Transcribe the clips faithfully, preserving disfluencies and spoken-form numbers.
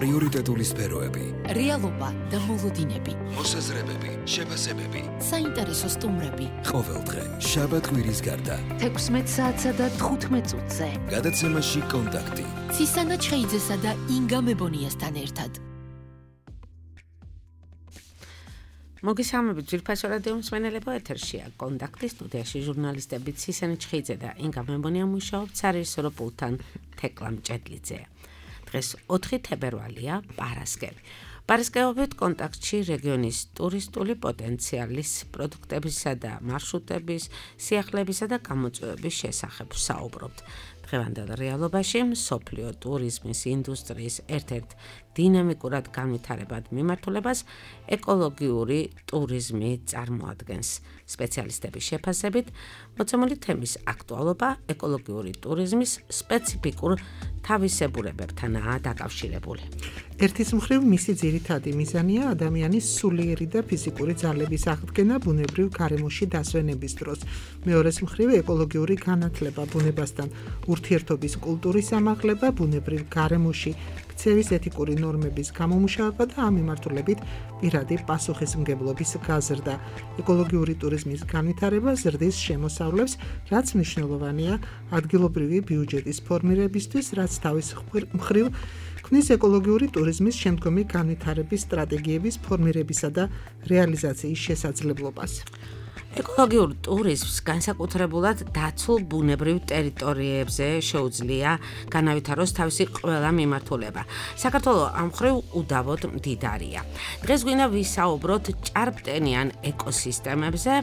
პრიორიტეტული სფეროები, რეალობა და მოლოდინები, მოსაზრებები, შეფასებები, საინტერესო სტუმრები. ყოველდღე შაბათ-კვირის გარდა თექვსმეტ საათსა და თხუთმეტ წუთზე. გადაცემაში კონტაქტი. ცისანა ჩხეიძესა და ინგა მებონიასთან ერთად. მოგესალმებით ძვირფასო რადიო მსმენელებო, ეთერშია კონტაქტი, სტუდიაში ჟურნალისტები ცისანა ჩხეიძე და ინგა მებონია მუშაობთ სარეჟისორო პულტთან თეკლა მჭედლიძე. დღეს ოთხი თებერვალია, პარასკევი. პარასკევობით კონტაქტში რეგიონის ტურისტული პოტენციალის, პროდუქტებისა და მარშრუტების, სიახლეებისა და გამოწვევების შესახებ საუბრობთ. დღევანდელ რეალობაში მსოფლიო ტურიზმის ინდუსტრიის ერთ-ერთ დინამიკურად განვითარებად მიმართულებას ეკოლოგიური ტურიზმი წარმოადგენს. სპეციალისტების შეფასებით, მოცემული თემის აქტუალობა ეკოლოგიური ტურიზმის სპეციფიკურ თავისებურებებთანაა დაკავშირებული. ერთის მხრივ მისი ძირითადი მიზანია ადამიანის სულიერი და ფიზიკური ძალების აღდგენა ბუნებრივ გარემოში დასვენების დროს. მეორეს მხრივ ეკოლოგიური განათლება ბუნებასთან ურთიერთობის კულტურის ამაღლება, ბუნებრივ გარემოში ქცევის ეთიკური ნორმების გამომუშავება და ამ მიმართულებით პირადი პასუხისმგებლობის გაზრდა. ეკოლოგიური ტურიზმის განვითარება ზრდის შემოსავლებს, რაც მნიშვნელოვანია ადგილობრივი ბიუჯეტის ფორმირებისთვის, რაც თავის მხრივ ქმნის ეკოლოგიური ტურიზმის შემდგომი განვითარების სტრატეგიების ფორმირებისა და რეალიზაციის შესაძლებლობას. ეკოლოგიურ ტურიზმს განსაკუთრებულად დაცულ ბუნებრივ ტერიტორიებზე შეუძლია განავითაროს თავისი ყველა მიმართულება. საქართველო ამ მხრივ უდავოდ მდიდარია. დღეს გვინდა ვისაუბროთ ჭარბტენიან ეკოსისტემებზე,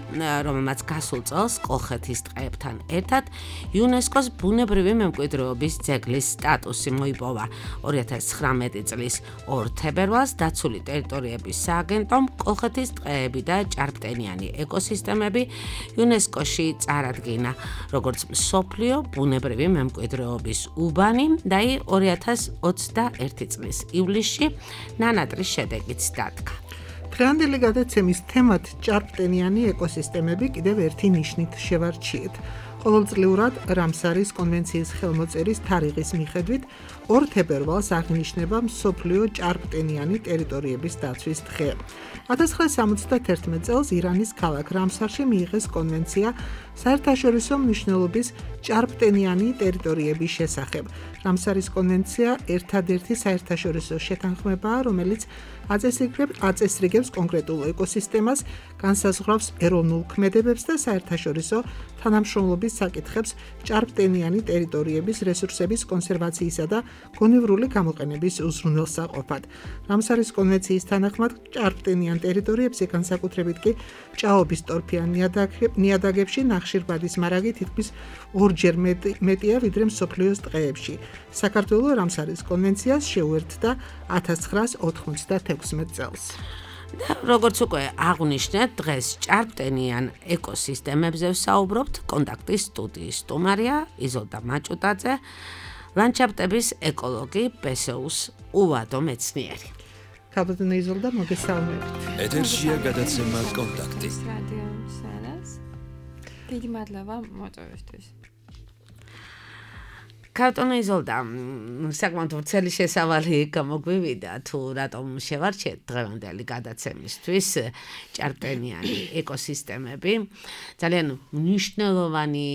რომელმაც გასულ წელს კოლხეთის ტყეებთან ერთად იუნესკოს ბუნებრივი მემკვიდრეობის ძეგლის სტატუსი მოიპოვა. ორი ათას ცხრამეტი წლის ორ თებერვალს დაცული ტერიტორიების სააგენტომ კოლხეთის ტყეები და ჭარბტენიანი ეკოსისტემები იუნესკოში წარადგინა, როგორც მსოფლიო ბუნებრივი მემკვიდრეობის უბანი და ორი ათას ოცდაერთი წლის ივლისში ნანატრის შედეგით დადგა. დღევანდელი გადაცემის თემად ჭარბტენიანი ეკოსისტემები კიდევ ერთი ნიშნით შევარჩიეთ. ყოველწლიურად რამსარის კონვენციის ხელმოწერის თარიღის მიხედვით ორ თებერვალს აღინიშნება მსოფლიო ჭარბტენიანი ტერიტორიების დაცვის დღე. ათას ცხრაასი სამოცდაერთი წელს ირანის ქალაქ რამსარში მიიღეს კონვენცია საერთაშორისო მნიშვნელობის ჭარბტენიანი ტერიტორიების შესახებ. რამსარის კონვენცია ერთადერთი საერთაშორისო შეთანხმებაა, რომელიც აწესრიგებს კონკრეტულ ეკოსისტემას, განსაზღვრავს ეროვნულ ქმედებებს და საერთაშორისო თანამშრომლობის საკითხებს ჭარბტენიანი ტერიტორიების რესურსების კონსერვაციისა და გონივრული გამოყენების უზრუნველსაყოფად. რამსარის კონვენციის თანახმად ჭარბტენიან ტერიტორიებზე, განსაკუთრებით კი ჭაობის ტორფიან ნიადაგებში ნახშირბადის მარაგი თითქმის ორჯერ მეტია ვიდრე მსოფლიოს ტყეებში. საქართველო რამსარის კონვენციას შეუერთდა ათას ცხრაასი ოცდათექვსმეტ წელს. და როგორც უკვე აღვნიშნეთ, დღეს ჭარბტენიან ეკოსისტემებზე ვსაუბრობთ. კონტაქტის სტუდიის სტუმარია იზოლდა მაჭუტაძე, ლანდშაფტების ეკოლოგი, ბესეუს უვადო მეცნიერი. ქაბატონო იზოლდა, მოგესალმებით. ეთერშია გადაცემა კონტაქტი. რადიო სანას. დიდი მადლობა მოწვევისთვის. ქაბატონო იზოლდა, საკმაოდ ვრცელი შესავალი გამოგვივიდა, თუ რატომ შევარჩიეთ დღევანდელი გადაცემისთვის ჭარბტენიანი ეკოსისტემები. ძალიან მნიშვნელოვანი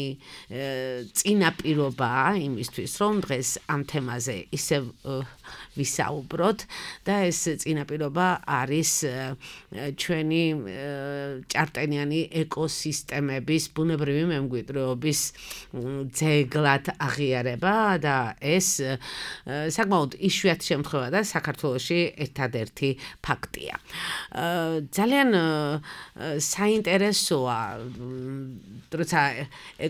წინაპირობაა იმისთვის, რომ დღეს ამ თემაზე ისევ ვისაუბროთ და ეს წინაპირობა არის ჩვენი ჭარბტენიანი ეკოსისტემების ბუნებრივი მემკვიდრეობის ძეგლად აღიარება და ეს საკმაოდ იშვიათი შემთხვევა და საქართველოში ერთადერთი ფაქტია. ძალიან საინტერესოა, როცა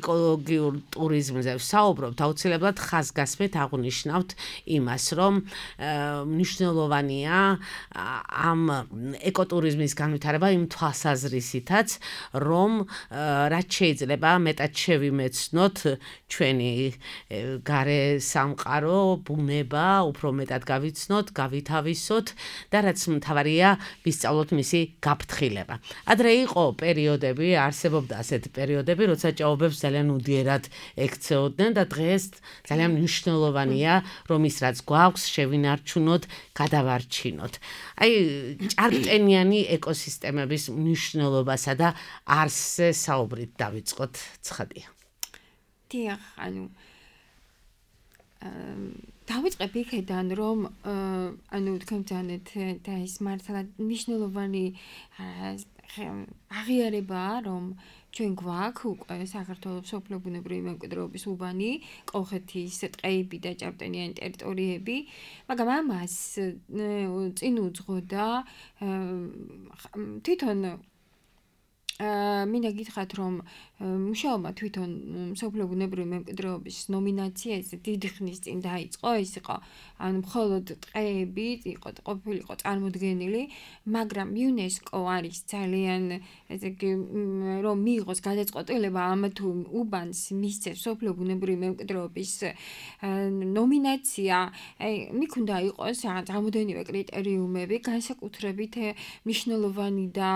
ეკოლოგიურ ტურიზმზე ვსაუბრობთ, აუცილებლად ხაზგასმით აღვნიშნავთ იმას, რომ მნიშვნელოვანია ამ ეკოტურიზმის განვითარება იმ თვალსაზრისითაც, რომ რაც შეიძლება მეტად შევიმეცნოთ ჩვენი გარე სამყარო, ბუნება უფრო მეტად გავიცნოთ, გავითავისოთ და რაც მთავარია, ვისწავლოთ მისი გაფრთხილება. ადრე იყო პერიოდები, არსებობდა ასეთი პერიოდები, როცა ჭაობებს ძალიან უდიერად ექცეოდნენ და დღეს ძალიან მნიშვნელოვანია, რომ ის რაც გვაქვს, შევინარჩუნოთ, გადავარჩინოთ. აი, ჭარბტენიანი ეკოსისტემების მნიშვნელობასა და არსზე საუბრით დავიწყოთ, ცხადია. დიახ, ანუ დავიწყებ იქედან, რომ ანუ თქვენ ბრძანეთ და ის მართლა მნიშვნელოვანი აღიარებაა, რომ ჩვენ გვაქვს უკვე საქართველოს სოფლო ბუნებრივი მემკვიდრეობის უბანი, კოლხეთის ტყეები და ჭარბტენიანი ტერიტორიები, მაგრამ ამას წინ უძღოდა თვითონ მინდა გითხრათ, რომ მუშაობა თვითონ სოფლო ბუნებრივი მემკვიდრეობის ნომინაციაზე დიდი ხნის წინ დაიწყო, ეს იყო ანუ მხოლოდ ტყეები იყო ყოფილიყო წარმოდგენილი, მაგრამ იუნესკო არის ძალიან ესე იგი რომ მიიღოს გადაწყვეტილება ამ თუ უბანს მისცეს სოფლო ბუნებრივი მემკვიდრეობის ნომინაცია, მიქონდა იყოს რაღაც რამოდენიმე კრიტერიუმები, განსაკუთრებით მნიშვნელოვანი და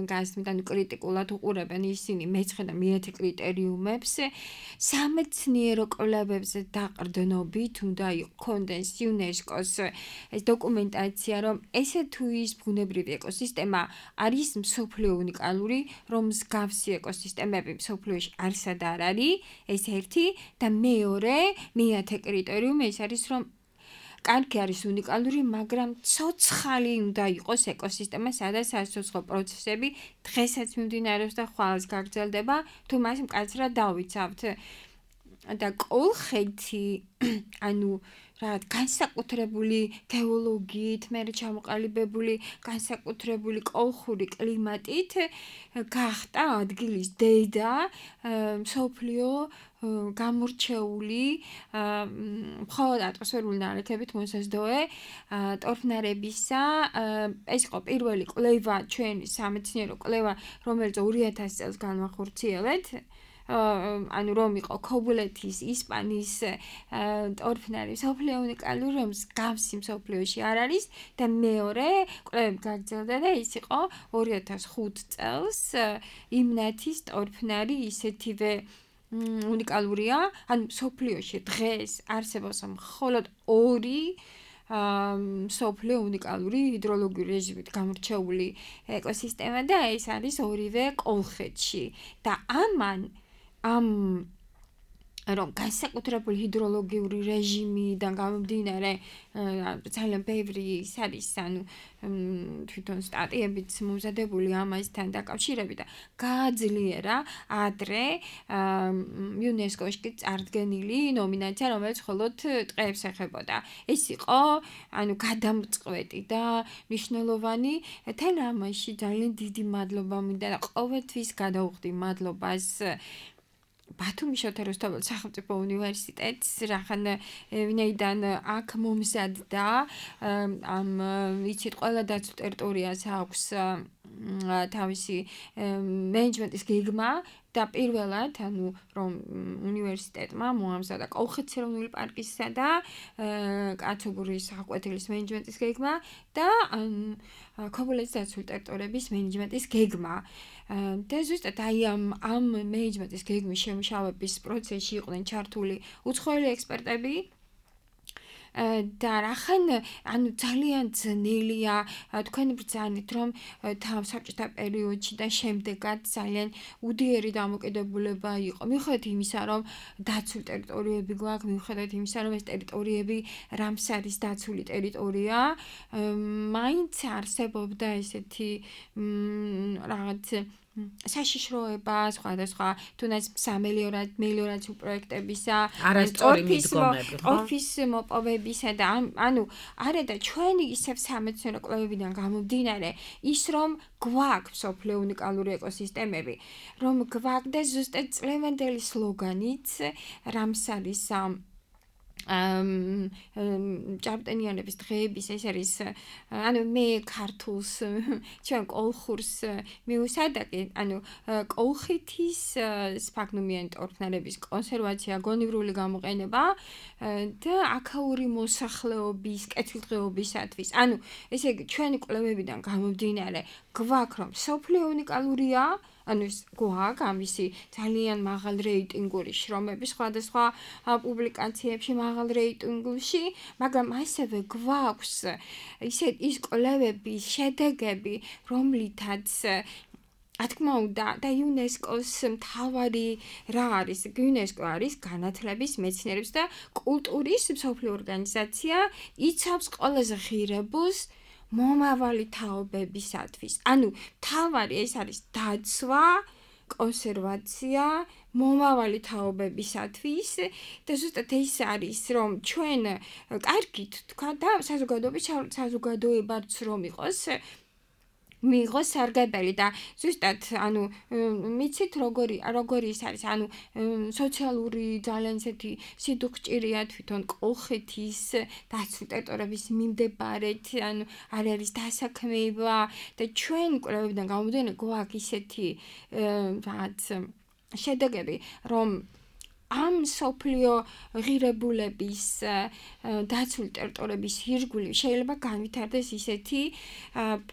გასმიდან კრიტიკულად უყურებენ ისინი მეცხრე და მეათე კრიტერიუმებს სამეცნიერო კვლევებზე დაყრდნობით უნდა იქონდეს იუნესკოს ეს დოკუმენტაცია, რომ ესე თუ ის ბუნებრივი ეკოსისტემა არის მსოფლიო უნიკალური, რომ მსგავსი ეკოსისტემები მსოფლიოში არსად არ არის, ეს ერთი და მეორე მეათე კრიტერიუმი ეს არის, რომ კარგი არის უნიკალური, მაგრამ ცოცხალი უნდა იყოს ეკოსისტემა, სადაც საცოცხლო პროცესები დღესაც მიმდინარეობს და ხვალს გაგრძელდება, თუ მას მკაცრად დავიცავთ. და კოლხეთი, ანუ რაღაც განსაკუთრებული გეოლოგიით, მე ჩამოყალიბებული განსაკუთრებული კოლხური კლიმატით გახდა ადგილის დედა, მსოფლიო გამორჩეული მხოლოდ ატმოსფერული ნალექებით მოსაზრდოე ტორფნარებისა. ეს იყო პირველი კვლევა, ჩვენი სამეცნიერო კვლევა, რომელიც ორი ათასი წელს განვახორციელეთ. ანუ რომ იყო ქობულეთის, ისპანიის ტორფნარი მსოფლიო უნიკალური, რომ მსგავსი მსოფლიოში არ არის და მეორე კვლევები გაგრძელდა და ის იყო ორი ათას ხუთი წელს იმნათის ტორფნარი ისეთივე უნიკალურია, ანუ მსოფლიოში დღეს არსებობს მხოლოდ ორი მსოფლიო უნიკალური ჰიდროლოგიური რეჟიმით გამორჩეული ეკოსისტემა და ეს არის ორივე კოლხეთში და ამან ამ რომ განსაკუთრებული ჰიდროლოგიური რეჟიმიდან გამომდინარე ძალიან ბევრი ის არის, ანუ თვითონ სტატიებიც მომზადებული ამასთან დაკავშირებით და გააძლიერა ადრე იუნესკოში წარდგენილი ნომინაცია, რომელიც მხოლოდ ტყეებს ეხებოდა. ეს იყო ანუ გადამწყვეტი და მნიშვნელოვანი. თან ამაში ძალიან დიდი მადლობა მინდა და ყოველთვის გადავხდი მადლობას ბათუმის შოთა რუსთაველის სახელმწიფო უნივერსიტეტს, რახან ვინაიდან აქ მომზადდა ამ იცით ყველა დაცულ ტერიტორიას აქვს თავისი მენეჯმენტის გეგმა და პირველად, ანუ რომ უნივერსიტეტმა მოამზადა კოლხეთის ეროვნული პარკისა და კაცობრიოს საყვეთილის მენეჯმენტის გეგმა და ქობულეთის დაცული ტერიტორიების მენეჯმენტის გეგმა. და ზუსტად აი ამ ამ მენეჯმენტის გეგმის შემუშავების პროცესში იყვნენ ჩართული უცხოელი ექსპერტები და რახან ანუ ძალიან ძნელია თქვენ ბრძანეთ, რომ თავ საბჭოთა პერიოდში და შემდეგაც ძალიან უდიერი დამოკიდებულება იყო. მიუხედავად იმისა, რომ დაცული ტერიტორიები გვაქვს, მიუხედავად იმისა, რომ ეს ტერიტორიები რამსარის დაცული ტერიტორია, მაინც არსებობდა ესეთი რაღაც საშიშროება, სხვადასხვა თუნდაც სამელიორაციო პროექტებისა, ტორფის მოპოვებისა და ანუ არა და ჩვენი ისევ სამეცნიერო კვლევებიდან გამომდინარე ის რომ გვაქვს მსოფლიო უნიკალური ეკოსისტემები, რომ გვაქვს და ზუსტად წლევანდელი სლოგანიც რამსარის ამ ჭარბტენიანების დღეების ეს არის ანუ მე ქართულს ჩვენ კოლხურს მივუსადაკი ანუ კოლხეთის სფაგნუმიანი ტორფნარების კონსერვაცია გონივრული გამოყენება და აქაური მოსახლეობის კეთილდღეობისათვის ანუ ესე იგი ჩვენი კვლევებიდან გამომდინარე გვაქვს რომ სოფლიო უნიკალურია ანუ ეს გვაქვს ამისი ძალიან მაღალ რეიტინგური შრომები სხვადასხვა პუბლიკაციებში მაღალ რეიტინგში, მაგრამ ასევე გვაქვს ისე ის კვლევების შედეგები, რომლითაც რა თქმა უნდა და იუნესკოს მთავარი რა არის? იუნესკო არის განათლების, მეცნიერების და კულტურის მსოფლიო ორგანიზაცია, იცავს ყველაზე ღირებულს მომავალი თაობებისათვის. ანუ თავარი ეს არის დაცვა, კონსერვაცია, მომავალი თაობებისათვის და ზუსტად ეს არის რომ ჩვენ კარგით თქვა და საზოგადოების საზოგადოებაც რომ იყოს მიიღოს სარგებელი და ზუსტად ანუ მიცით როგორი როგორი ის არის ანუ სოციალური ძალიან ისეთი სიდუხჭირია თვითონ კოლხეთის დაცული ტერიტორიების მიმდებარედ ანუ არ არის დასაქმება და ჩვენ კვლევებიდან გამომდინარე გვაქვს ისეთი რაღაც შედეგები რომ ამ სოფლიო ღირებულების დაცული ტერიტორიების ირგვლივ შეიძლება განვითარდეს ისეთი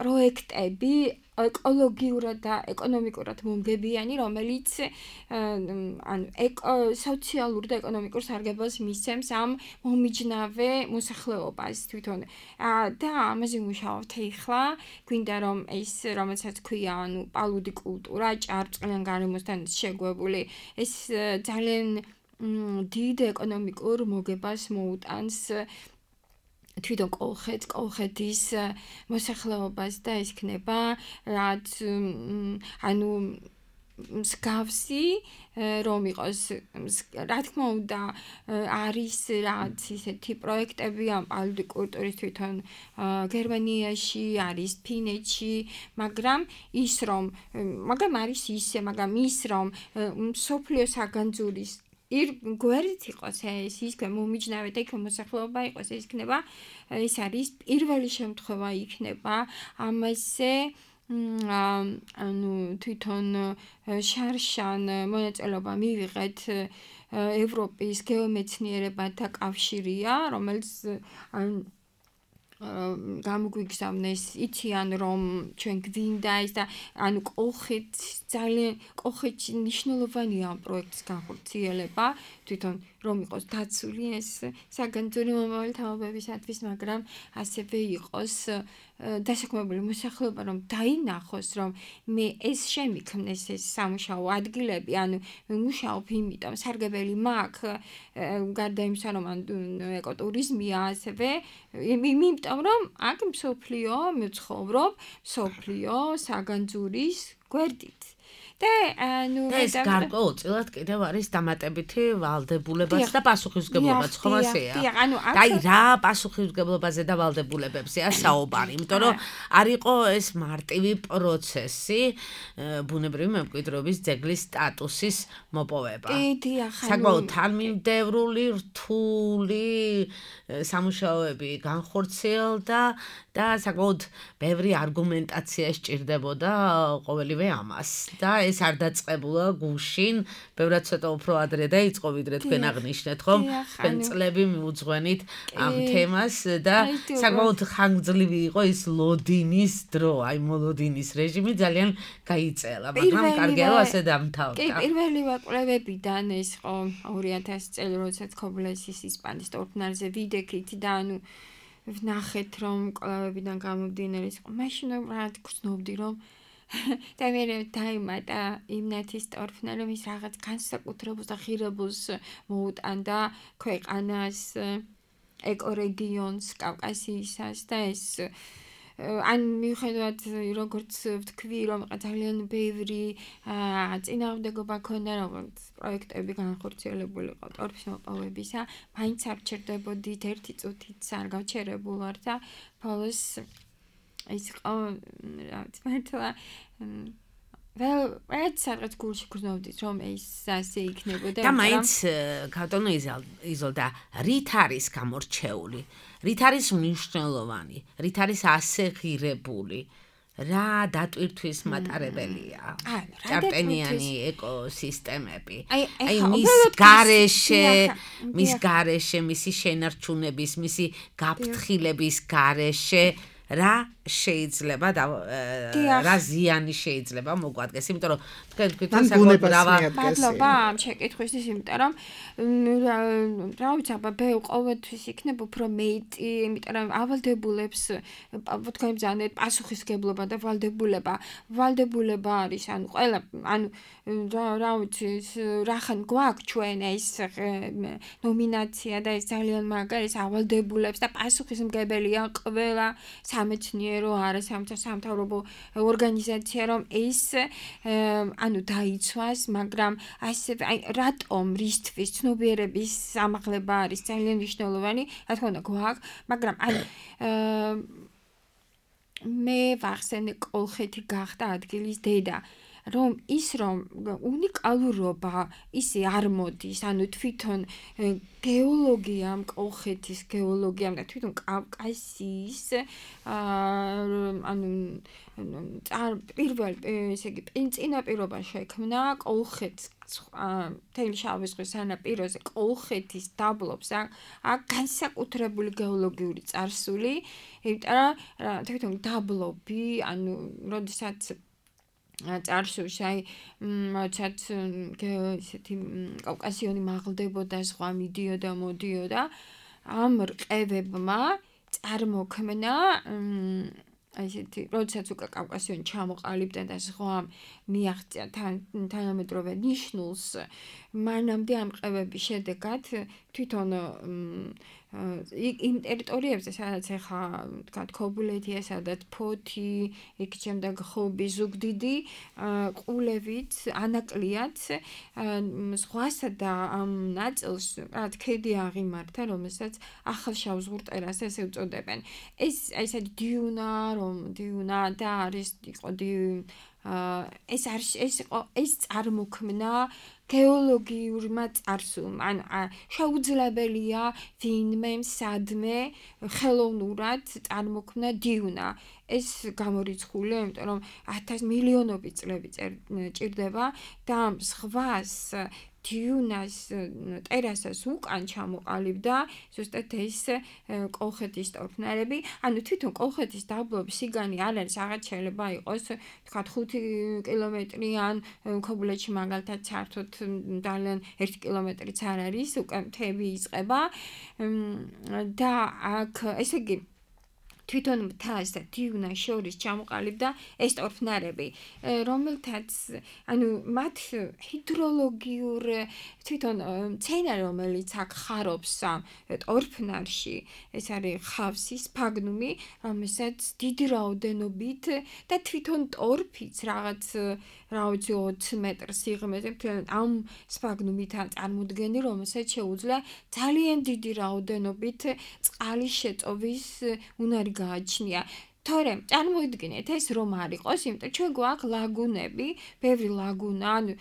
პროექტები ეკოლოგიურად და ეკონომიკურად მომგებიანი, რომელიც ანუ სოციალურ და ეკონომიკურ სარგებელს მისცემს ამ მომიჯნავე მოსახლეობას თვითონ. და ამაზე ვმუშაობთ ახლა, გვინდა რომ ეს რომელსაც ქვია, ანუ პალუდი კულტურა, ჭარბწყლიან გარემოსთან შეგვებული, ეს ძალიან დიდ ეკონომიკურ მოგებას მოუტანს თვითონ კოლხეთს, კოლხეთის მოსახლეობას და ეს იქნება რაც ანუ მსგავსი რომ იყოს რა თქმა უნდა არის რაც ისეთი პროექტები ამ პალუდი კულტურის თვითონ გერმანიაში არის ფინეთში მაგრამ ის რომ მაგრამ არის ისე მაგრამ ის რომ სოფლიო საგანძურის ირ გვერდით იყოს ეს ის მომიჯნავე და იქ მოსახლეობა იყოს ეს იქნება ეს არის პირველი შემთხვევა იქნება ამაზე ანუ თვითონ შარშან მონაწილეობა მივიღეთ ევროპის გეომეცნიერებათა კავშირია რომელიც გამოგვიგზავნეს იციან რომ ჩვენ გვინდა ეს და ანუ კოლხეთს ძალიან კოლხეთში მნიშვნელოვანია ამ პროექტის განხორციელება თვითონ რომ იყოს დაცული ეს საგანძური მომავალი თაობებისათვის მაგრამ ასევე იყოს დასაქმებული მოსახლეობა რომ დაინახოს რომ მე ეს შემიქმნეს ეს სამუშაო ადგილები ანუ მუშაობ იმიტომ სარგებელი მაქვს გარდა იმისა რომ ეკოტურიზმია ასევე იმიტომ რომ აქ მსოფლიო მცხოვრობ მსოფლიო საგანძურის გვერდით და ანუ ეს გარკვეულწილად კიდევ არის დამატებითი ვალდებულებაც და პასუხისმგებლობაც ხომ ასეა? და აი რა პასუხისმგებლობაზე და ვალდებულებებზეა საუბარი, იმიტომ რომ არ იყო ეს მარტივი პროცესი ბუნებრივი მემკვიდრეობის ძეგლის სტატუსის მოპოვება. საკმაოდ თანმიმდევრული, რთული სამუშაოები განხორციელდა და საკმაოდ ბევრი არგუმენტაცია სჭირდებოდა ყოველივე ამას და ეს არ დაწყებულა გუშინ, ბევრად ცოტა უფრო ადრე დაიწყო ვიდრე თქვენ აღნიშნეთ, ხომ? თქვენ წლები მიუძღვენით ამ თემას და საკმაოდ ხანგრძლივი იყო ის ლოდინის დრო, აი მოლოდინის რეჟიმი ძალიან გაიწელა, მაგრამ კარგია რომ ასე დამთავრდა. კი, პირველი კვლევებიდან ეს ხო ორი ათასი წელი როდესაც ქობლესის ისპანის ტორფნარზე ვიდექით და ანუ ვნახეთ რომ კვლევებიდან გამომდინარე ის ხო მაშინ რა გრძნობდი რომ და მე დაიმატა იმნათის ტორფნარი ის რაღაც განსაკუთრებულს და ღირებულს მოუტანდა ქვეყანას ეკორეგიონს კავკასიისას და ეს ან მიუხედავად როგორც ვთქვი რომ ძალიან ბევრი წინააღმდეგობა ქონდა როგორც პროექტები განხორციელებული იყო ტორფის მოპოვებისა მაინც არ ჩერდებოდით ერთი წუთიც არ გავჩერებულ ვარ და ბოლოს ის ყო რა თქმა უნდა vel რაც სადღაც გულში გრძნობდით რომ ეს ასე იქნებოდა და მაინც ქავტონო იზოლდა რით არის გამორჩეული რით არის მნიშვნელოვანი რით არის ასე ღირებული რა დატვირთვის მატარებელია ჭარბტენიანი ეკოსისტემები აი მის გარეშე მის გარეშე მისი შენარჩუნების მისი გაფრთხილების გარეშე რა შეიძლება და რა ზიანი შეიძლება მოგვადგეს, იმიტომ რომ თქვენ თქვენ საკუთარ ბრავა მადლობა ამ შეკითხვისთვის, იმიტომ რომ რა ვიცი, აბა ბე ყოველთვის იქნებ უფრო მეტი, იმიტომ რომ ავალდებულებს თქვენ ბრძანეთ პასუხისგებლობა და ვალდებულება, ვალდებულება არის, ანუ ყველა, ანუ რა ვიცი, რახან გვაქვს ჩვენ ეს ნომინაცია და ეს ძალიან მაგარი ეს ავალდებულებს და პასუხისმგებელია ყველა სამეცნიერო არასამთავრობო ორგანიზაცია რომ ეს ანუ დაიცვას, მაგრამ ასე აი რატომ რისთვის ცნობიერების ამაღლება არის ძალიან მნიშვნელოვანი, რა თქმა უნდა გვაქვს, მაგრამ აი მე ვახსენე კოლხეთი გახდა ადგილის დედა რომ ის რომ უნიკალურობა ისე არ მოდის, ანუ თვითონ გეოლოგიამ, კოლხეთის გეოლოგიამ და თვითონ კავკასიის ანუ პირველ ესე იგი წინაპირობა შექმნა კოლხეთს მთელი შავი ზღვის სანაპიროზე კოლხეთის დაბლობს აქ განსაკუთრებული გეოლოგიური წარსული, იმიტომ რომ თვითონ დაბლობი, ანუ როდესაც წარსულში აი როდესაც ესეთი კავკასიონი მაღლდებოდა ზღვა მიდიოდა მოდიოდა ამ რყევებმა წარმოქმნა ესეთი როდესაც უკვე კავკასიონი ჩამოყალიბდა და ზღვამ მიაღწია თანამედროვე ნიშნულს მანამდე ამ რყევების შედეგად თვითონ იმ ტერიტორიებზე სადაც ახლა თქვა ქობულეთია, სადაც ფოთი, იქ შემდეგ ხობი, ზუგდიდი, ყულევით, ანაკლიაც ზღვასა და ამ ნაწილს რაც ქედი აღიმართა, რომელსაც ახალშავზღურტერას ესე უწოდებენ. ეს ესეთი დიუნა, რომ დიუნა და არის იყო ეს არის ეს იყო ეს წარმოქმნა გეოლოგიურმა წარსულმა, ან შეუძლებელია ვინმე სადმე ხელოვნურად წარმოქმნა დიუნა. ეს გამორიცხულია, იმიტომ რომ ათას მილიონობით წლები ჭირდება და ამ ზღვას დიუნას ტერასას უკან ჩამოყალიბდა ზუსტად ეს კოლხეთის ტორფნარები, ანუ თვითონ კოლხეთის დაბლობის სიგანი არ არის, აღარ შეიძლება იყოს თქვა ხუთი კილომეტრი ან ქობულეთში მაგალითად საერთოდ ძალიან ერთი კილომეტრიც არ არის, უკან მთები იწყება და აქ ესე იგი თვითონ მთას და დიუნას შორის ჩამოყალიბდა ეს ტორფნარები, რომელთაც ანუ მათ ჰიდროლოგიურ თვითონ მცენარე, რომელიც აქ ხარობს ამ ტორფნარში, ეს არის ხავსის სფაგნუმი, რომელსაც დიდი რაოდენობით და თვითონ ტორფიც რაღაც რა ვიცი ოცი მეტრ სიღრმეზე ამ სფაგნუმითაა წარმოდგენილი, რომელსაც შეუძლია ძალიან დიდი რაოდენობით წყალის შეწოვის უნარი გააჩნია. თორემ წარმოიდგინეთ ეს რომ არ იყოს, იმიტომ ჩვენ გვაქვს ლაგუნები, ბევრი ლაგუნა, ანუ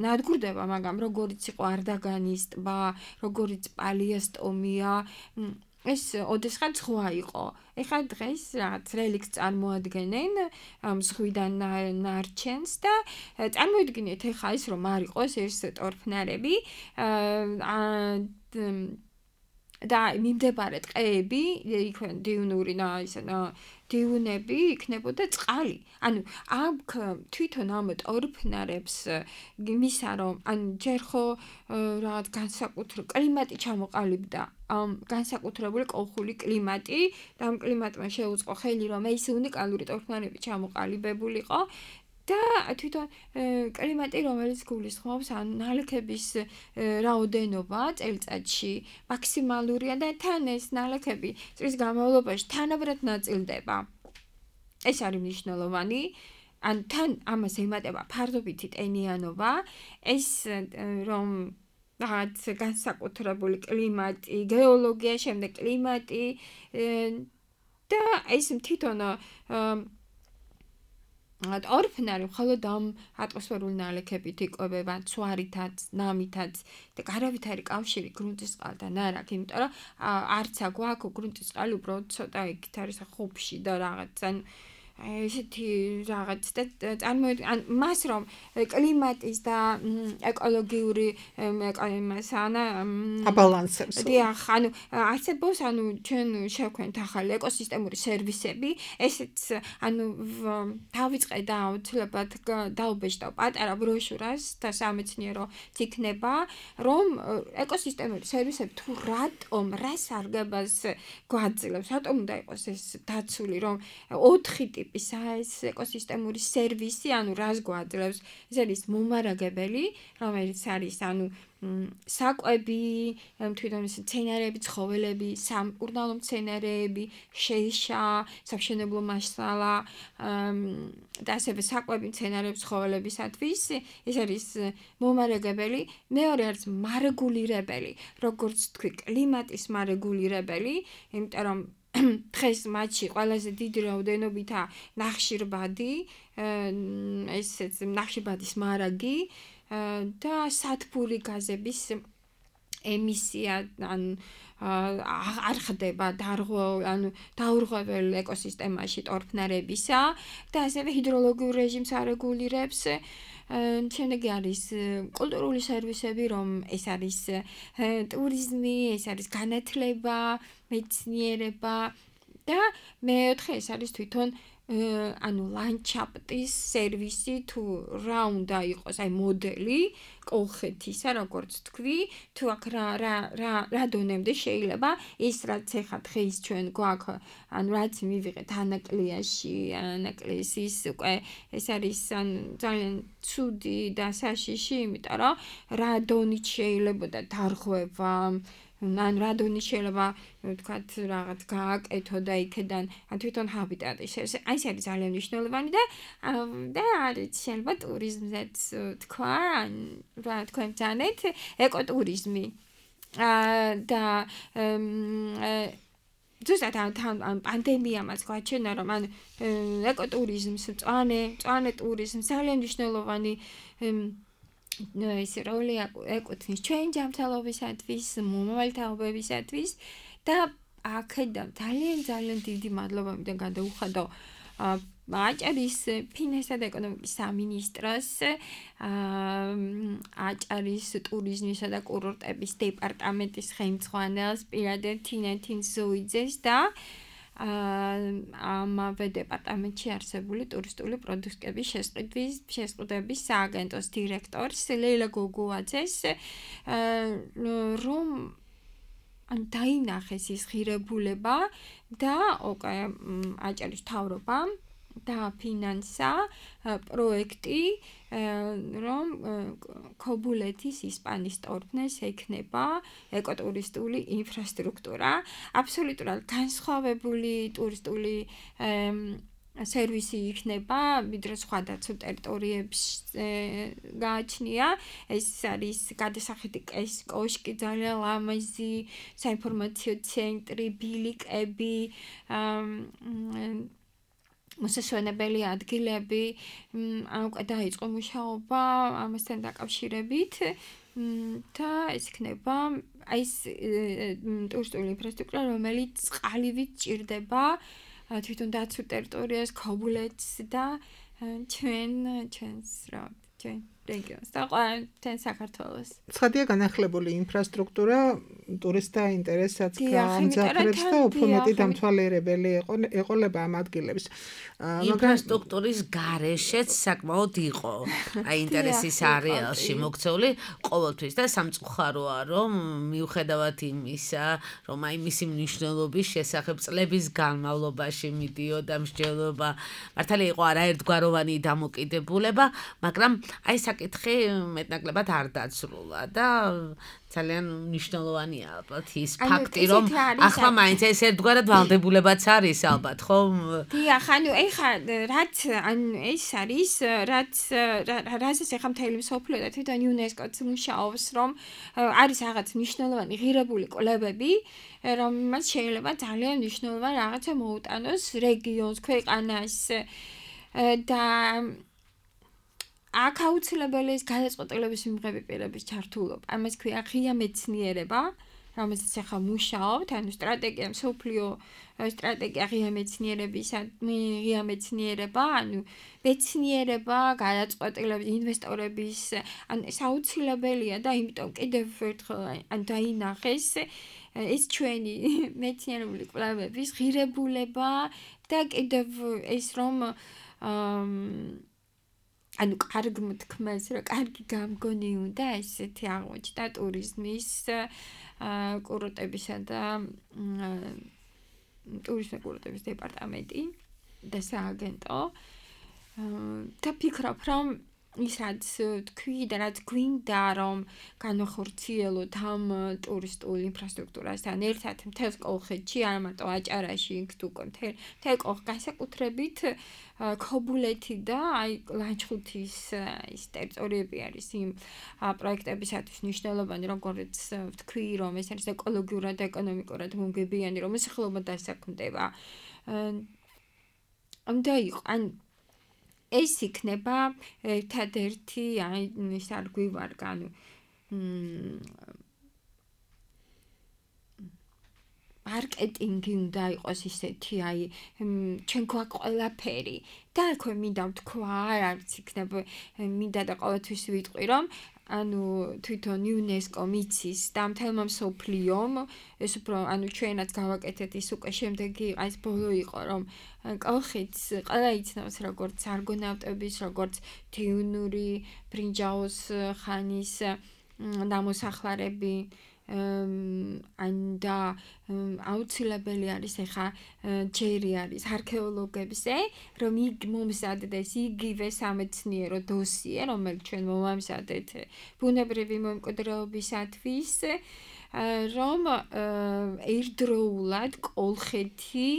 ნადგურდება, მაგრამ როგორიც იყო არდაგანის ტბა, როგორიც პალიასტომია, ეს ოდესღაც ზღვა იყო. ეხლა დღეს რაღაც რელიქტს წარმოადგენენ ამ ზღვიდან ნარჩენს და წარმოიდგინეთ ეხლა ის რომ არ იყოს ეს ტორფნარები და მიმდებარე ტყეები, იქვე დიუნური და ისე დიუნები იქნებოდა წყალი. ანუ აქ თვითონ ამ ტორფნარებს იმისა რომ ან ჯერ ხო რაღაც განსაკუთრებული კლიმატი ჩამოყალიბდა, ამ განსაკუთრებული კოლხური კლიმატი და ამ კლიმატმა შეუწყო ხელი რომ ეს უნიკალური ტორფნარები ჩამოყალიბებულიყო. და თვითონ კლიმატი, რომელიც გულისხმობს ან ნალექების რაოდენობა წელიწადში მაქსიმალურია და თან ეს ნალექები წლის განმავლობაში თანაბრად ნაწილდება. ეს არის მნიშვნელოვანი. ან თან ამას ემატება ფარდობითი ტენიანობა, ეს რომ რაღაც განსაკუთრებული კლიმატი, გეოლოგია, შემდეგ კლიმატი და ეს თვითონ ორფნარი მხოლოდ ამ ატმოსფერული ნალექებით იკვებება, ცვარითაც, ნამითაც და გარავით არის კავშირი გრუნტის წყალთან არ აქვს, იმიტომ რომ არც აქვ გრუნტის წყალი უბრალოდ ცოტა იქით არის ხუბში და რაღაც ან ესეთი რაღაც და წარმოიდგინე მას რომ კლიმატის და ეკოლოგიური იმას ანა აბალანსებს. დიახ, ანუ არსებობს ანუ ჩვენ შევქმნით ახალი ეკოსისტემური სერვისები, ესეც ანუ დავიწყე და აუცილებლად დაუბეჭდავ პატარა ბროშურას და სამეცნიერო იქნება, რომ ეკოსისტემური სერვისები თუ რატომ რა სარგებას გვაძლევს, რატომ უნდა იყოს ეს დაცული, რომ ოთხი ტიპისა ეს ეკოსისტემური სერვისი, ანუ რას გვაძლევს? ეს არის მომარაგებელი, რომელიც არის ანუ საკვები, თვითონ ეს მცენარეები, ცხოველები, სამკურნალო მცენარეები, შეიშა, სამშენებლო მასალა და ასევე საკვები, მცენარეები, ცხოველებისათვის, ეს არის მომარაგებელი. მეორე არის მარეგულირებელი, როგორც თქვი, კლიმატის მარეგულირებელი, იმიტომ რომ დღეს მათში ყველაზე დიდი რაოდენობითაა ნახშირბადი, ესეც ნახშირბადის მარაგი და სათბური გაზების ემისია, ან არ ხდება ანუ დაურღვეველ ეკოსისტემაში ტორფნარებისა და ასევე ჰიდროლოგიურ რეჟიმს არეგულირებს. შემდეგი არის კულტურული სერვისები, რომ ეს არის ტურიზმი, ეს არის განათლება, მეცნიერება და მეოთხე ეს არის თვითონ ანუ ლანდშაფტის სერვისი, თუ რა უნდა იყოს, აი მოდელი კოლხეთისა, როგორც თქვი, თუ აქ რა რა რა დონემდე შეიძლება ის რაც ეხა დღეს ჩვენ გვაქვს, ანუ რაც მივიღეთ ანაკლიაში, ანაკლიის უკვე ეს არის ძალიან ცუდი და საშიში, იმიტომ რომ რა დონით შეიძლება დარღვევა, ან რა დონით შეიძლება ვთქვათ რაღაც გააკეთო და იქედან თვითონ ჰაბიტატი ეს არის ძალიან მნიშვნელოვანი და და არის შეიძლება ტურიზმზეც თქვა, რა თქვენ ბრძანეთ, ეკოტურიზმი და ზუსტად ამ პანდემიამაც გვაჩვენა, რომ ან ეკოტურიზმს, მწვანე, მწვანე ტურიზმს ძალიან მნიშვნელოვანი ეს როლი ეკუთვნის ჩვენ ჯანმრთელობისათვის, მომავალთაობებისათვის და აქედან ძალიან ძალიან დიდი მადლობამდე გადაუხადო აჭარის ფინანსთა და ეკონომიკის სამინისტროს, აჭარის ტურიზმისა და კურორტების დეპარტამენტის ხელმძღვანელს პირადად თინათინ ზოიძეს და ამავე დეპარტამენტში არსებული ტურისტული პროდუქტების შესყიდვის შესყიდვების სააგენტოს დირექტორს ლეილა გოგუაძეს, რომ ან დაინახეს ის ღირებულება და ოკე აჭარის მთავრობა დააფინანსა პროექტი, რომ ქობულეთის ისპანის ტორფნეს ექნება ეკოტურისტული ინფრასტრუქტურა, აბსოლუტურად განსხვავებული ტურისტული სერვისი იქნება, ვიდრე სხვა დაცულ ტერიტორიებში გააჩნია. ეს არის გადასახადი კოშკი, ძალიან ლამაზი საინფორმაციო ცენტრი, ბილიკები, მოსასვენებელი ადგილები, უკვე დაიწყო მუშაობა ამასთან დაკავშირებით და ეს იქნება ეს ტურისტული ინფრასტრუქტურა, რომელიც წყალივით ჭირდება თვითონ დაცულ ტერიტორიას, ქობულეთს და ჩვენ ჩვენს რა ჩვენ რეგიონს და ჩვენ საქართველოს. ცხადია განახლებული ინფრასტრუქტურა ტურისტთა ინტერესსაც გაამძაფრებს და უფრო მეტი დამთვალიერებელი ეყოლება ამ ადგილებს. ინფრასტრუქტურის გარეშეც საკმაოდ იყო აი ინტერესის არეალში მოქცეული ყოველთვის და სამწუხაროა, რომ მიუხედავად იმისა, რომ აი მისი მნიშვნელობის შესახებ წლების განმავლობაში მიდიოდა მსჯელობა, მართალია იყო არაერთგვაროვანი დამოკიდებულება, მაგრამ აი საკითხი მეტნაკლებად არ დაცრულა და ძალიან მნიშვნელოვანია ალბათ ის ფაქტი, რომ ახლა მაინც ეს ერთგვარად ვალდებულებაც არის ალბათ, ხო? დიახ, ანუ ეხა რაც ანუ ეს არის, რაც რაზეც ეხა მთელი მსოფლიო და თვითონ იუნესკოც მუშაობს, რომ არის რაღაც მნიშვნელოვანი ღირებული კვლევები, რომელმაც შეიძლება ძალიან მნიშვნელოვანი რაღაცა მოუტანოს რეგიონს, ქვეყანას და აქ აუცილებელი ის გადაწყვეტილების მიღების პირების ჩართულობა. ამას ქვია ღია მეცნიერება, რომელსაც ახლა მუშაობთ, ანუ სტრატეგია, მსოფლიო სტრატეგია ღია მეცნიერების, ღია მეცნიერება, ანუ მეცნიერება, გადაწყვეტილების, ინვესტორების, ანუ ეს აუცილებელია და იმიტომ კიდევ ერთხელ ან დაინახეს ეს ჩვენი მეცნიერული კვლევების ღირებულება და კიდევ ეს რომ ანუ კარგ მოთქმას, რა კარგი გამგონი უნდა ესეთი აღმოჩნდა ტურიზმის კურორტებისა და ტურიზმის კურორტების დეპარტამენტი და სააგენტო და ფიქრობ რომ ის რაც თქვი და რაც გვინდა რომ განახორციელოთ ამ ტურისტულ ინფრასტრუქტურასთან ერთად მთელს კოლხეთში, არა მარტო აჭარაში, იქ თუ მთელ კოლხ განსაკუთრებით ქობულეთი და აი ლანჩხუთის ის ტერიტორიები არის იმ პროექტებისათვის მნიშვნელოვანი, როგორც ვთქვი, რომ ეს არის ეკოლოგიურად და ეკონომიკურად მომგებიანი, რომ მოსახლეობა დასაქმდება. და იყო ან ეს იქნება ერთადერთი აი ის არ გვივარგა ანუ მარკეტინგი უნდა იყოს ისეთი აი ჩვენ გვაქვს ყველაფერი და აქვე მინდა ვთქვა არც იქნება მინდა და ყოველთვის ვიტყვი რომ ანუ თვითონ იუნესკო მიცის და მთელმა მსოფლიომ ეს უფრო ანუ ჩვენაც გავაკეთეთ ის უკვე შემდეგი ეს ბოლო იყო რომ კოლხეთს ყველა იცნობს როგორც არგონავტების როგორც თეუნური ბრინჯაოს ხანის ნამოსახლარები ან და აუცილებელი არის ახლა ჯერი არის არქეოლოგებზე რომ იქ მომზადდეს იგივე სამეცნიერო დოსიე რომელიც ჩვენ მომამზადეთ ბუნებრივი მემკვიდრეობისათვის რომ ერთდროულად კოლხეთი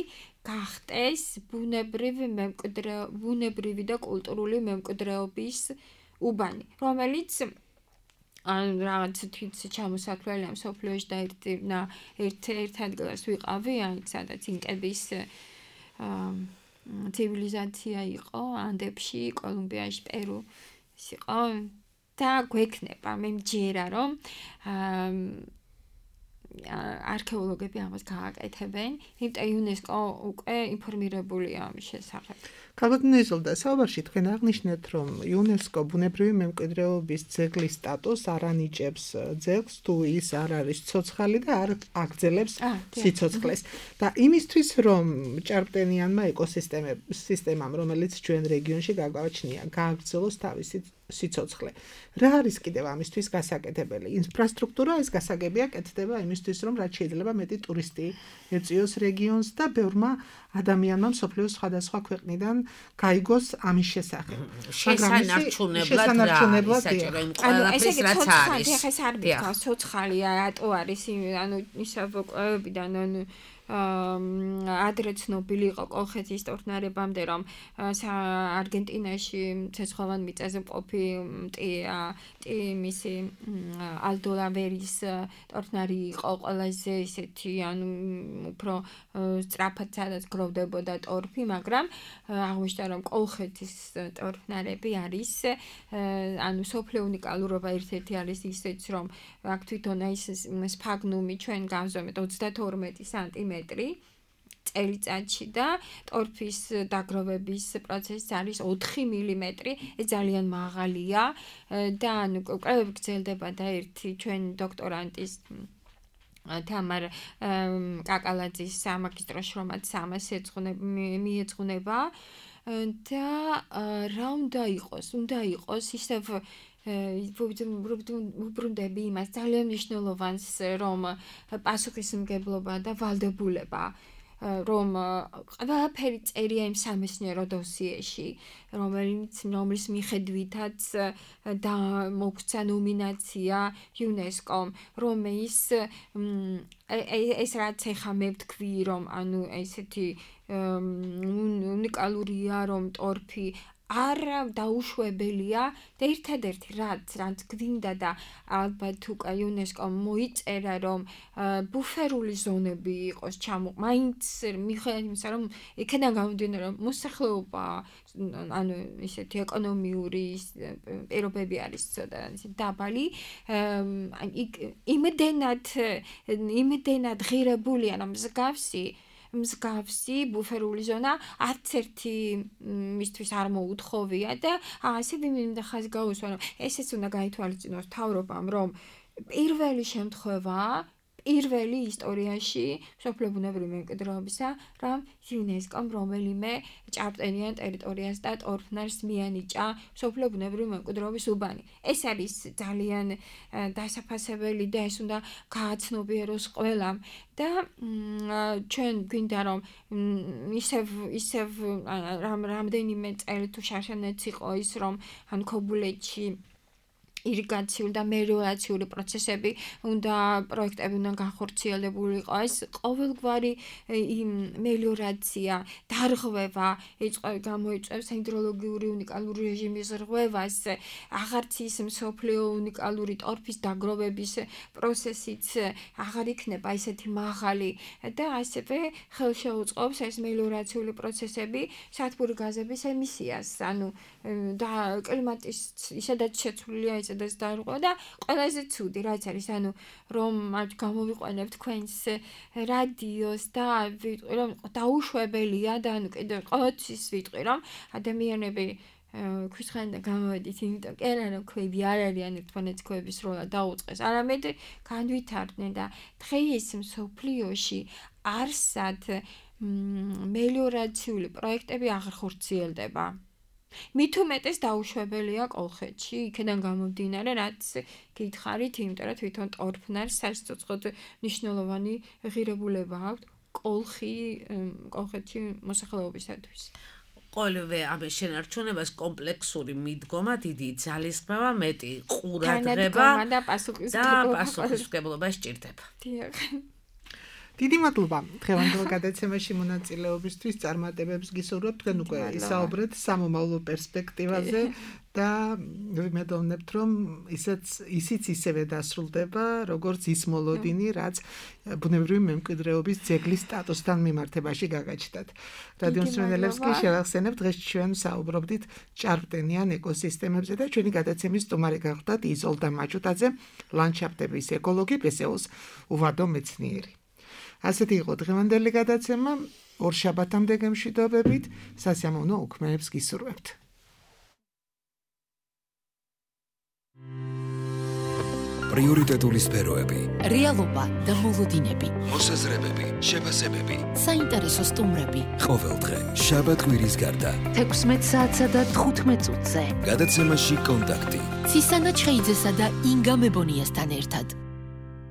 გახდეს ბუნებრივი მემკვიდრე ბუნებრივი და კულტურული მემკვიდრეობის უბანი რომელიც ან რაღაც თვით ჩამოსახლელია მსოფლიოში და ერთ ერთ ერთ ადგილას ვიყავი, აი სადაც ინკების ცივილიზაცია იყო ანდებში, კოლუმბიაში, პერუში იყო და გვექნება მე მჯერა რომ არქეოლოგები ამას გააკეთებენ, იმიტომ იუნესკო უკვე ინფორმირებულია ამის შესახებ. Ქალბატონო საუბარში თქვენ აღნიშნეთ, რომ იუნესკო ბუნებრივი მემკვიდრეობის ძეგლის სტატუსს არ ანიჭებს ძეგლს, თუ ის არ არის ცოცხალი და არ აგრძელებს სიცოცხლეს. და იმისთვის, რომ ჭარბტენიანმა ეკოსისტემამ, რომელიც ჩვენ რეგიონში გაგვაჩნია, გააგრძელოს თავისი სიცოცხლე. რა არის კიდევ ამისთვის გასაკეთებელი? ინფრასტრუქტურა ეს გასაგებია კეთდება იმისთვის, რომ რაც შეიძლება მეტი ტურისტი ეწიოს რეგიონს და ბევრმა ადამიანმა მსოფლიოს სხვადასხვა ქვეყნიდან გაიგოს ამის შესახებ. შესანარჩუნებლად საჭირო იმ ყველაფრის რაც არის. ეს არ ვიქავს, ცოცხალი ატო არის, ანუ ისა ვოკლებიდან ანუ ადრე ცნობილი იყო კოლხეთის ტორფნარებამდე რომ არგენტინაში ცეცხლოვან მიწაზე მყოფი მისი ალდოლავერის ტორფნარი იყო ყველაზე ისეთი ანუ უფრო სწრაფად სადაც გროვდებოდა ტორფი, მაგრამ აღმოჩნდა რომ კოლხეთის ტორფნარები არის ანუ სოფლიო უნიკალურობა ერთ-ერთი არის ისეც რომ აქ თვითონ ის სფაგნუმი ჩვენ გავზომეთ ოცდათორმეტი სანტიმეტრი წელიწადში და ტორფის დაგროვების პროცესი არის ოთხი მილიმეტრი, ეს ძალიან მაღალია და ანუ კვლევები გრძელდება და ერთი ჩვენ დოქტორანტის თამარ კაკალაძის სამაგისტრო შრომაც ამას მიეძღვნება და რა უნდა იყოს? უნდა იყოს ისევ ვუბრუნდები იმას ძალიან მნიშვნელოვანს რომ პასუხისმგებლობა და ვალდებულება რომ ყველაფერი წერია იმ სამეცნიერო დოსიეში რომელიც რომლის მიხედვითაც და მოგვცა ნომინაცია იუნესკომ რომ ის ეს რაც ახლა მე ვთქვი რომ ანუ ესეთი უნიკალურია რომ ტორფი არ დაუშვებელია და ერთადერთი რაც რაც გვინდა და ალბათ უკვე იუნესკომ მოიწერა რომ ბუფერული ზონები იყოს ჩამო მაინც მიხედავთ იმისა რომ იქიდან გამომდინარე რომ მოსახლეობა ანუ ისეთი ეკონომიური პირობები არის ცოტა დაბალი იმდენად იმდენად ღირებულია რომ მსგავსი მსგავსი ბუფერული ზონა არც ერთი მისთვის არ მოუთხოვია და ასე მინდა ხაზი გაუსვა რომ ესეც უნდა გაითვალისწინოს მთავრობამ რომ პირველი შემთხვევა პირველი ისტორიაში მსოფლიო ბუნებრივი მემკვიდრეობისა რომ იუნესკომ რომელიმე ჭარბტენიან ტერიტორიას და ტორფნარს მიანიჭა მსოფლიო ბუნებრივი მემკვიდრეობის უბანი. ეს არის ძალიან დასაფასებელი და ეს უნდა გააცნობიეროს ყველამ და ჩვენ გვინდა რომ ისევ ისევ რამდენიმე წელი თუ შარშანაც იყო ის რომ ან ქობულეთში ირიგაციული და მელიორაციული პროცესები უნდა პროექტები უნდა განხორციელებული იყო ეს ყოველგვარი მელიორაცია დარღვევა გამოიწვევს ჰიდროლოგიური უნიკალური რეჟიმის რღვევას აღარც ის მსოფლიო უნიკალური ტორფის დაგროვების პროცესიც აღარ იქნება ისეთი მაღალი და ასევე ხელშეუწყობს ეს მელიორაციული პროცესები სათბური გაზების ემისიას ანუ და კლიმატის ისედაც შეცვლილია ეს და დაერყვა და ყველაზე ცუდი რაც არის ანუ რომ გამოვიყვანებთ თქვენს რადიოს და ვიტყვი რომ დაუშვებელია და ანუ კიდევ ყოველთვის ვიტყვი რომ ადამიანები ქვისხანიდან გამოვედით იმიტომ კი არა რომ ქვები არ არიან ერთმანეთს ქვების როლა დაუწყეს არამედ განვითარდნენ და დღეს მსოფლიოში არსად მელიორაციული პროექტები აღარ ხორციელდება მით უმეტეს დაუშვებელია კოლხეთში, იქიდან გამომდინარე, რაც გითხარით, იმიტომ რომ თვითონ ტორფნარს სასიცოცხლოდ მნიშვნელოვანი ღირებულება აქვს კოლხი კოლხეთში მოსახლეობისათვის. ყოველივე ამის შენარჩუნებას კომპლექსური მიდგომა, დიდი ძალისხმევა, მეტი ყურადღება და პასუხისმგებლობა სჭირდება. დიახ. დიდი მადლობა დღევანდელ გადაცემაში მონაწილეობისთვის წარმატებებს გისურვებთ თქვენ უკვე ისაუბრეთ სამომავლო პერსპექტივაზე და ვიმედოვნებთ რომ ისიც ისიც ისევე დასრულდება როგორც ის მოლოდინი რაც ბუნებრივი მემკვიდრეობის ძეგლის სტატუსთან მიმართებაში გაგაჩნდათ. რადიო მსმენელებს კი შევახსენებთ დღეს ჩვენ საუბრობდით ჭარბტენიან ეკოსისტემებზე და ჩვენი გადაცემის სტუმარი გახლდათ იზოლდა მაჭუტაძე ლანდშაფტების ეკოლოგი პესეოს უვადო მეცნიერი. ასეთი იყო დღევანდელი გადაცემა ორ შაბათამდე გემშვიდობებით სასიამოვნო უქმეებს გისურვებთ. პრიორიტეტული სფეროები, რეალობა და მოლოდინები, მოსაზრებები, შეფასებები, საინტერესო სტუმრები. ყოველდღე შაბათ კვირის გარდა თექვსმეტ საათსა და თხუთმეტ წუთზე გადაცემაში კონტაქტი ცისანა ჩხეიძესა და ინგა მებონიასთან ერთად.